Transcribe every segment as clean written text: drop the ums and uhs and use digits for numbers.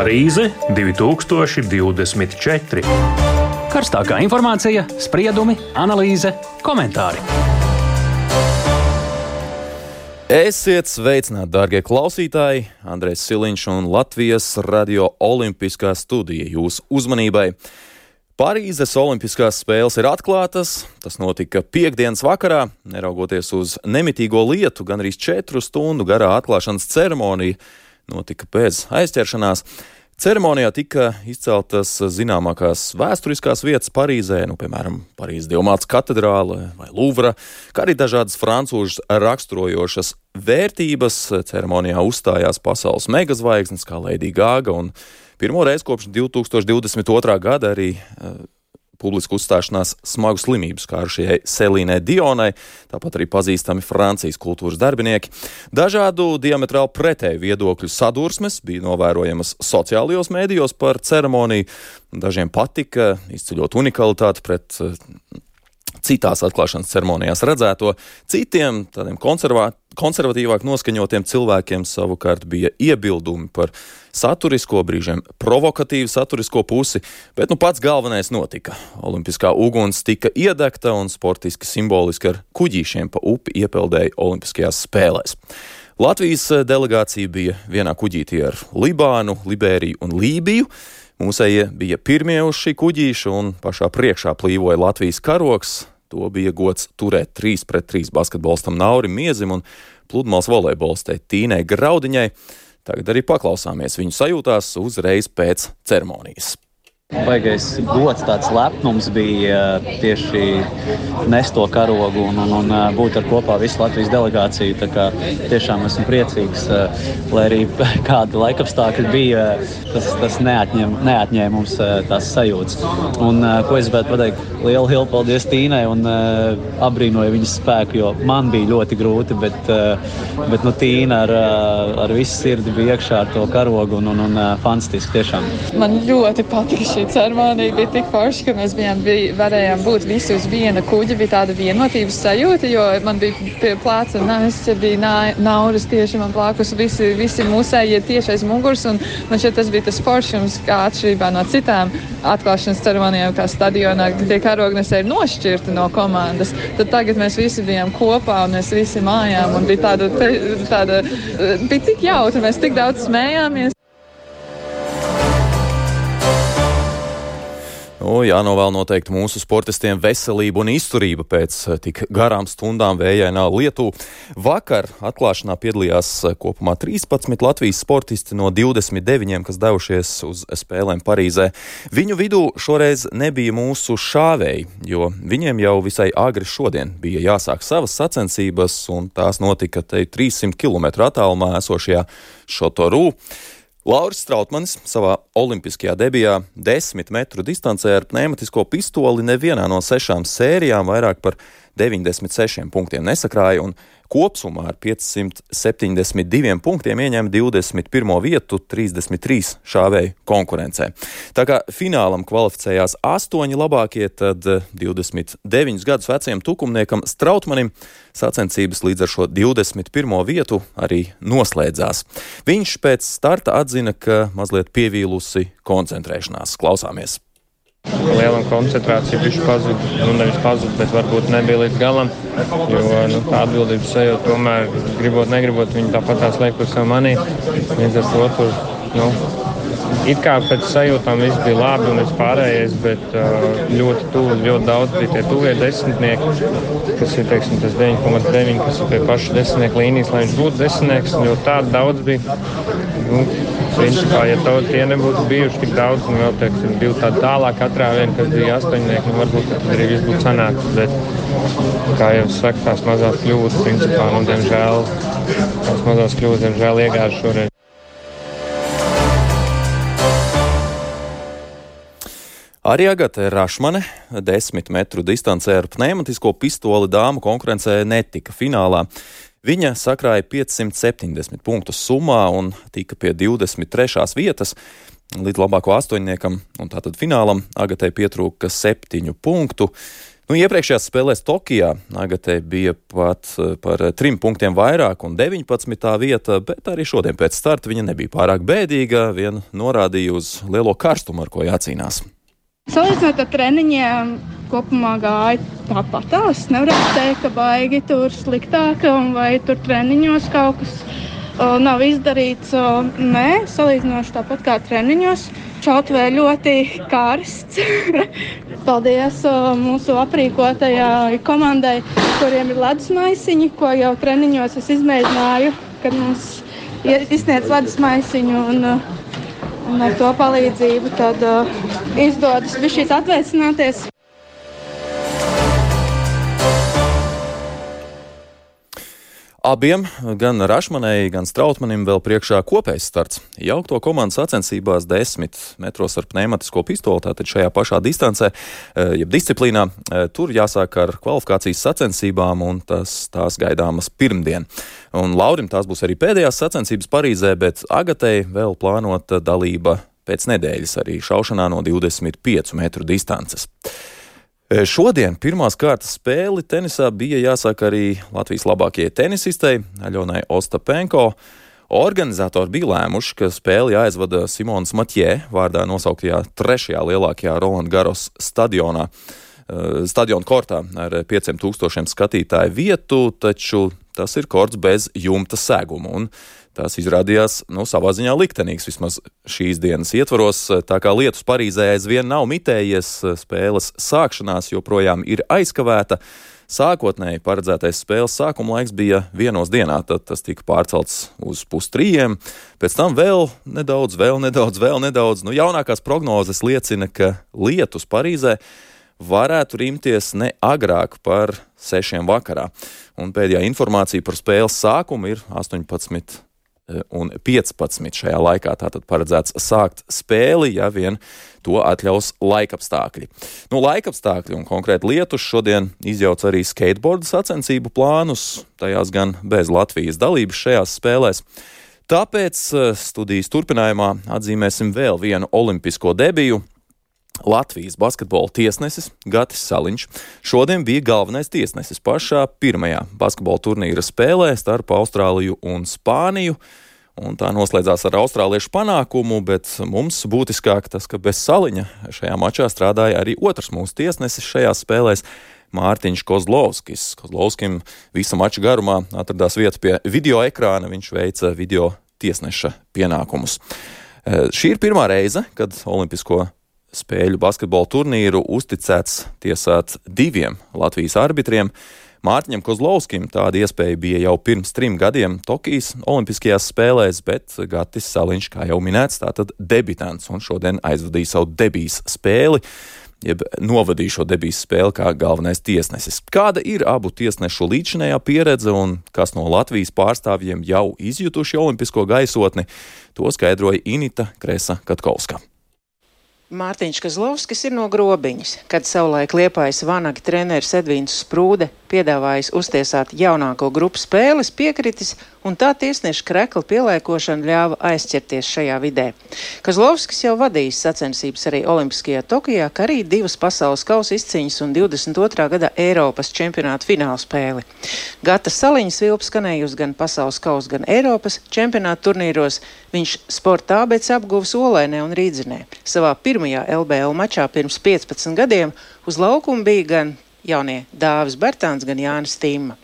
Parīze 2024. Karstākā informācija, spriedumi, analīze, komentāri. Esiet sveicināti, dārgie klausītāji! Andrejs Siliņš un Latvijas Radio Olimpiskā studija jūsu uzmanībai. Parīzes Olimpiskās spēles ir atklātas. Tas notika piektdienas vakarā, neraugoties uz nemitīgo lietu, gan arī 4 stundu garā atklāšanas ceremonija notika bez aizķeršanās. Ceremonijā tika izceltas zināmākās vēsturiskās vietas Parīzē, piemēram, Parīzes Dievmātes katedrāle vai Luvra, kā arī dažādas francūžas raksturojošas vērtības. Ceremonijā uzstājās pasaules megazvaigznes kā Lady Gaga un pirmo reizi kopš 2022. gada arī publisku uzstāšanās smagu slimību skārušajai Selīnai Dionai, tāpat arī pazīstami Francijas kultūras darbinieki. Dažādu diametrāli pretēju viedokļu sadursmes bija novērojamas sociālajos mēdījos par ceremoniju. Dažiem patika izceļot unikalitāti pret citās atklāšanas ceremonijās redzēto. Citiem, tādiem konservatīvāk noskaņotiem cilvēkiem savukārt bija iebildumi par saturisko, brīžiem provokatīvu saturisko pusi, bet pats galvenais notika. Olimpiskā uguns tika iedegta un sportiski simboliski ar kuģīšiem pa upi iepeldēja Olimpiskajās spēlēs. Latvijas delegācija bija vienā kuģītī ar Libānu, Liberiju un Lībiju. Mūsējie bija pirmie uz šī kuģīša un pašā priekšā plīvoja Latvijas karogs. To bija gods turēt 3-3 basketbolistam Naurim Miezim un pludmales volejbolistei Tīnai Graudiņai. Tagad arī paklausāmies viņu sajūtās uzreiz pēc ceremonijas. Baigais gods, tāds lepnums bija tieši nest to karogu un būt ar kopā visu Latvijas delegāciju. Tā kā tiešām esmu priecīgs, lai arī kādi laikapstākļi bija, tas neatņēma mums tās sajūtas. Un ko es gribētu pateikt, lielu paldies Tīnai un apbrīnoju viņas spēku, jo man bija ļoti grūti, bet Tīna ar visu sirdi bija iekšā ar to karogu un fantastiski tiešām. Man ļoti patika šī ceremonija, bija tik forši, ka mēs varējām būt visi uz viena kuģa, bija tāda vienotības sajūta, jo man bija pie plāca Nāsts, bija Nauris tieši man plākus, visi mūsējie tieši aiz muguras, un man šeit tas bija tas foršums, kā atšķirībā no citām atklāšanas ceremonijām, kā stadionā, kad tie karognesēji ir nošķirti no komandas. Tad tagad mēs visi bijām kopā, un mēs visi mājām, un bija bija tik jautri, mēs tik daudz smējāmies. Jānovēl noteikti mūsu sportistiem veselību un izturību pēc tik garām stundām vējainā Lietuvā. Vakar atklāšanā piedalījās kopumā 13 Latvijas sportisti no 29, kas devušies uz spēlēm Parīzē. Viņu vidū šoreiz nebija mūsu šāvēji, jo viņiem jau visai agri šodien bija jāsāk savas sacensības, un tās notika 300 km attālumā esošajā Šotorū. Lauris Strautmanis savā olimpiskajā debijā 10 metru distancē ar pneimatisko pistoli nevienā no 6 sērijām vairāk par 96 punktiem nesakrāja un kopsumā ar 572 punktiem ieņēma 21. vietu 33 šāvēju konkurencē. Tā kā finālam kvalificējās 8 labākie, tad 29 gadus vecajam tukumniekam Strautmanim sacensības līdz ar šo 21. vietu arī noslēdzās. Viņš pēc starta atzina, ka mazliet pievīlusi koncentrēšanās. Klausāmies! Liela koncentrācija bišķi pazuda, nevis pazuda, bet varbūt nebija līdz galam, jo tā atbildības sajūta tomēr, gribot, negribot, viņi tāpatās liek uz savu manī. Līdz ar to tur, it kā pēc sajūtām viss bija labi un viss pārējais, bet ļoti tuvu, ļoti daudz bija tie tuvie desmitnieki, kas ir, teiksim, tas 9,9, kas ir pie paša desmitnieku līnijas, lai viņš būtu desmitnieks, jo tādu daudz bija. Principā, ja tie nebūtu bijuši tik daudz, un vēl, teiksim, bija tāda tālāk katrā viena, kas bija 8, varbūt tad arī viss būtu sanāks, bet, kā jau saka, tās mazās kļūdas, principā, diemžēl iegāžu šoreiz. Arī Agate Rašmane 10 metru distancē ar pneimatisko pistoli dāmu konkurencē netika finālā. Viņa sakrāja 570 punktus summā un tika pie 23. vietas. Līdz labāko astoņniekam un tātad finālam Agatei pietrūka 7 punktu. Iepriekšējās spēlēs Tokijā Agatei bija pat par 3 punktiem vairāk un 19. vieta, bet arī šodien pēc starta viņa nebija pārāk bēdīga, vien norādīja uz lielo karstumu, ar ko jācīnās. Salīdzinot ar treniņiem, kopumā gāja tāpatās. Nevarētu teikt, ka baigi tur sliktāk vai tur treniņos kaut kas nav izdarīts. Nē, salīdzinoši tāpat kā treniņos. Šautavē ļoti karsts. Paldies mūsu aprīkotajai komandai, kuriem ir ledus maisiņi, ko jau treniņos es izmēģināju, kad mums izsniedz ledus maisiņu un ar to palīdzību tad izdodas bišķīt atvēsināties. Abiem, gan Rašmanai, gan Strautmanim vēl priekšā kopējs starts. Jaukto komandu sacensībās 10 metros ar pneimatisko pistoli, tātad šajā pašā distancē, jeb disciplīnā, tur jāsāk ar kvalifikācijas sacensībām, un tās gaidāmas pirmdien. Un Laurim tās būs arī pēdējās sacensības Parīzē, bet Agatei vēl plānota dalība pēc nedēļas arī šaušanā no 25 metru distances. Šodien pirmās kārtas spēli tenisā bija jāsāk arī Latvijas labākajai tenisistei Aļonai Ostapenko. Organizatori bija lēmuši, ka spēli jāizvada Simonas Matjē vārdā nosauktajā 3. lielākajā Roland Garros stadiona kortā ar 5000 skatītāju vietu, taču tas ir korts bez jumta seguma, un tās izrādījās, savā ziņā liktenīgs vismaz šīs dienas ietvaros, tā kā lietus Parīzē aizvien nav mitējies, spēles sākšanās joprojām ir aizkavēta. Sākotnēji paredzētais spēles sākuma laiks bija 1 dienā, tad tas tika pārcelts uz 2:30, pēc tam vēl nedaudz. Jaunākās prognozes liecina, ka lietus Parīzē varētu rimties ne agrāk par 6 vakarā. Un pēdējā informācija par spēles sākumu ir 18 un 15 šajā laikā. Tātad paredzēts sākt spēli, ja vien to atļaus laikapstākļi. Laikapstākļi un konkrēti lietus šodien izjauc arī skateboardu sacensību plānus, tajās gan bez Latvijas dalības šajās spēlēs. Tāpēc studijas turpinājumā atzīmēsim vēl vienu olimpisko debiju. Latvijas basketbola tiesnesis Gatis Saliņš šodien bija galvenais tiesnesis pašā pirmajā basketbola turnīra spēlē starp Austrāliju un Spāniju, un tā noslēdzās ar austrāliešu panākumu, bet mums būtiskāk tas, ka bez Saliņa šajā mačā strādāja arī otrs mūsu tiesnesis šajās spēlēs Mārtiņš Kozlovskis. Kozlovskim visa mača garumā atradās vieta pie video ekrāna, viņš veica video tiesneša pienākumus. Šī ir pirmā reize, kad olimpisko spēļu basketbola turnīru uzticēts tiesāt 2 Latvijas arbitriem. Mārtiņam Kozlovskim tāda iespēja bija jau pirms 3 gadiem Tokijas olimpiskajās spēlēs, bet Gatis Saliņš, kā jau minēts, tātad debitants, un šodien aizvadīja savu debijas spēli, jeb novadīja šo debijas spēli kā galvenais tiesnesis. Kāda ir abu tiesnešu līdzinējā pieredze un kas no Latvijas pārstāvjiem jau izjutuši olimpisko gaisotni, to skaidroja Inita Kresa-Katkovska. Mārtiņš Kozlovskis ir no Grobiņas, kad savulaik Liepājas Vanaga treneris Edvīns Sprūde piedāvājis uztiesāt jaunāko grupu spēles, piekritis, un tā tiesneša krekla pielēkošana ļāva aizķerties šajā vidē. Kozlovskis jau vadījis sacensības arī Olimpiskajā Tokijā, kā arī 2 pasaules kausa izcīņas un 22. gada Eiropas čempionāta fināla spēli. Gata Saliņa svilpa skanējusi gan pasaules kausa, gan Eiropas čempionāta turnīros. Viņš sporta ABC apguvis Olainē un Rīdzenē. Savā pirmajā LBL mačā pirms 15 gadiem uz laukuma bija gan jaunie Dāvis Bertāns, gan Jānis Tīma.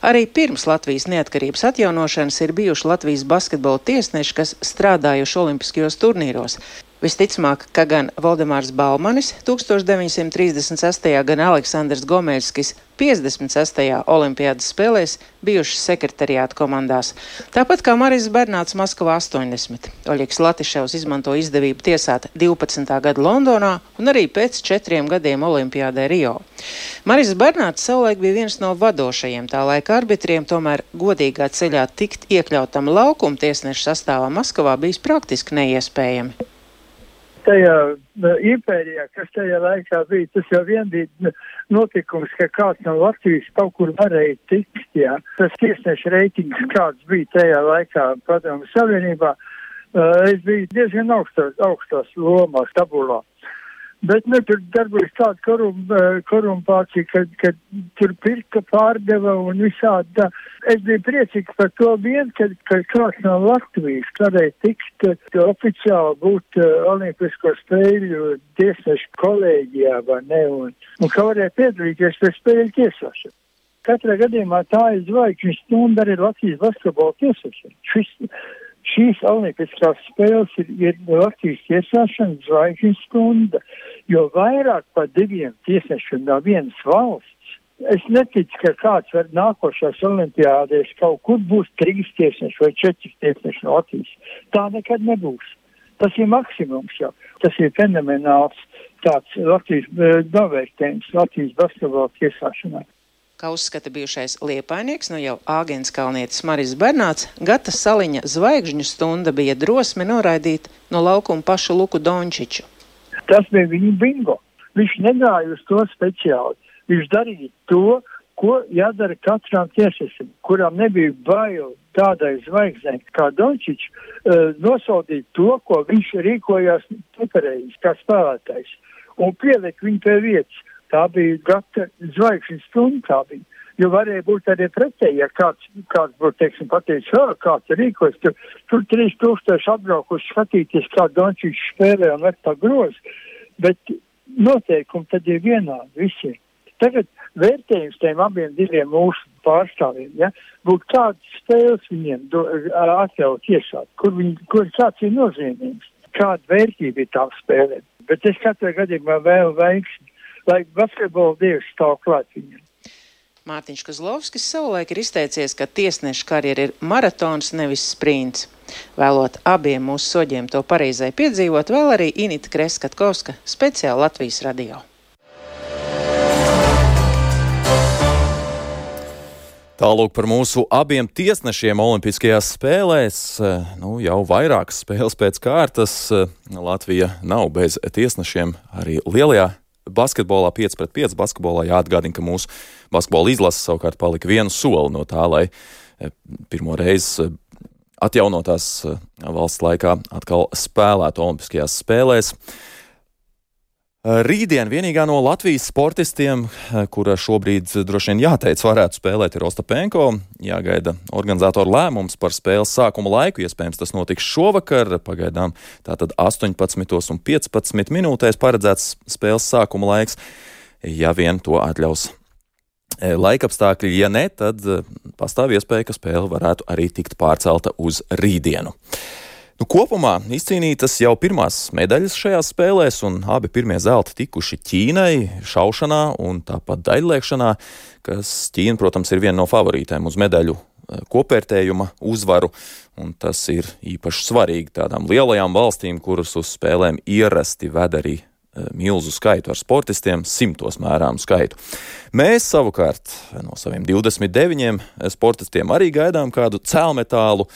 Arī pirms Latvijas neatkarības atjaunošanas ir bijuši Latvijas basketbola tiesneši, kas strādājuši olimpiskajos turnīros. Visticamāk, ka gan Valdemārs Balmanis 1936. gan Aleksandrs Gomeļskis 56. olimpiādas spēlēs bijuši sekretariāta komandās. Tāpat kā Maris Bernāts Maskavā 80. Oļegs Latiševs izmanto izdevību tiesāt 12. gada Londonā un arī pēc 4 gadiem olimpiādē Rio. Maris Bernāts savulaik bija viens no vadošajiem tā laika arbitriem, tomēr godīgā ceļā tikt iekļautam laukuma tiesnešu sastāvā Maskavā bijis praktiski neiespējami. Tajā impērijā, kas tajā laikā bija, tas jau vien bija notikums, ka kāds no Latvijas kaut kur varēja tikt, jā. Tas tiesneša reitings, kāds bija tajā laikā Padomju Savienībā, es biju diezgan augstās lomās tabulā. Bet, tur darbojas tāda korumpācija, kad tur pirka, pārdeva un visādi tā. Es biju priecīgs par to kad kāds no Latvijas varēja tikt oficiāli būt Olimpisko spēļu tiesnešu kolēģijā, vai ne, un ka varēja piedalīties pie spēļu tiesāšanu. Katrā gadījumā tā ir zvaigžņu stunda arī Latvijas basketbola tiesāšana. Šīs olimpiskās spēles ir Latvijas tiesāšana zvaigžņu stunda, jo vairāk par 2 tiesnešiem no vienas valsts. Es neticu, ka kāds var nākošās olimpiādēs kaut kur būs 3 tiesneši vai 4 tiesneši no Latvijas. Tā nekad nebūs. Tas ir maksimums jau. Tas ir fenomenāls tāds Latvijas novērtējums Latvijas basketbola tiesāšanā. Kā uzskata bijušais liepainieks, jau Āgenskalnietis Maris Bernāts, Gata Saliņa zvaigžņu stunda bija drosme noraidīt no laukuma pašu Luku Dončiču. Tas bija viņa bingo. Viņš negāja uz to speciāli. Viņš darīja to, ko jādara katram tiesnesim, kuram nebija bail tādai zvaigznei kā Dončičs, nosodīt to, ko viņš rīkojās nepareizi kā spēlētājs, un pielikt viņu pie vietas. Tā bija Gata zvaigžņu stunda, tā bija. Jo varēja būt arī pretēji, ja kāds būtu, teiksim, pateicis, kāds rīkojas, tur 3000 atbraukuši skatīties, kā Dončičs spēlē un liek tā groz, bet noteikumi tad ir vienādi visiem. Tagad vērtējums tiem abiem 2 mūsu pārstāvjiem, ja, būtu kādas spēles viņiem atļaut iesāt, kur kāds ir nozīmīgs, kāda vērtība ir tā spēlē. Bet es katrā gadījumā vēlu veiksmi, lai basketbola dievs stāv klāt viņam. Mārtiņš Kozlovskis savulaik ir izteicies, ka tiesneša karjera ir maratons, nevis sprints. Vēlot abiem mūsu soģiem to pareizai piedzīvot, vēl arī Inita Kreskatkovska, speciāli Latvijas radio. Tālūk par mūsu abiem tiesnešiem Olimpiskajās spēlēs. Jau vairākas spēles pēc kārtas. Latvija nav bez tiesnešiem arī lielajā basketbolā 5-5 basketbolā. Jāatgādina, ka mūsu basketbola izlase savukārt palika 1 soli no tā, lai pirmo reizi atjaunotās valsts laikā atkal spēlētu Olimpiskajās spēlēs. Rītdien vienīgā no Latvijas sportistiem, kura šobrīd droši vien jāteic varētu spēlēt, ir Ostapenko. Jāgaida organizatoru lēmums par spēles sākuma laiku. Iespējams, tas notiks šovakar. Pagaidām tātad 18:15 minūtēs paredzēts spēles sākuma laiks. Ja vien to atļaus laikapstākļi, ja ne, tad pastāv iespēja, ka spēle varētu arī tikt pārcelta uz rītdienu. Kopumā izcīnītas jau pirmās medaļas šajās spēlēs, un abi pirmie zelti tikuši Ķīnai šaušanā un tāpat daļliekšanā, kas Ķīna, protams, ir viena no favorītēm uz medaļu kopvērtējuma uzvaru, un tas ir īpaši svarīgi tādām lielajām valstīm, kuras uz spēlēm ierasti ved arī milzu skaitu ar sportistiem, 100 mērāmu skaitu. Mēs savukārt no saviem 29 sportistiem arī gaidām kādu cēlmetālu.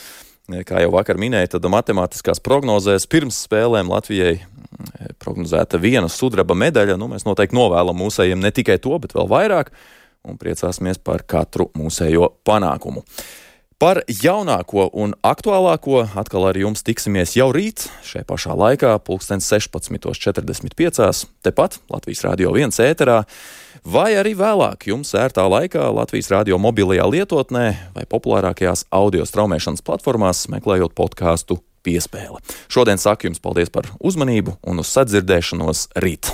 Kā jau vakar minēja, tad matemātiskās prognozēs pirms spēlēm Latvijai prognozēta 1 sudraba medaļa. Mēs noteikti novēlam mūsējiem ne tikai to, bet vēl vairāk, un priecāsimies par katru mūsējo panākumu. Par jaunāko un aktuālāko atkal ar jums tiksimies jau rīt, šajā pašā laikā, 16:45, tepat Latvijas Radio 1 ēterā, vai arī vēlāk jums ērtā laikā Latvijas Radio mobilajā lietotnē vai populārākajās audio straumēšanas platformās, meklējot podcastu Piespēle. Šodien saku jums paldies par uzmanību un uz sadzirdēšanos rīt.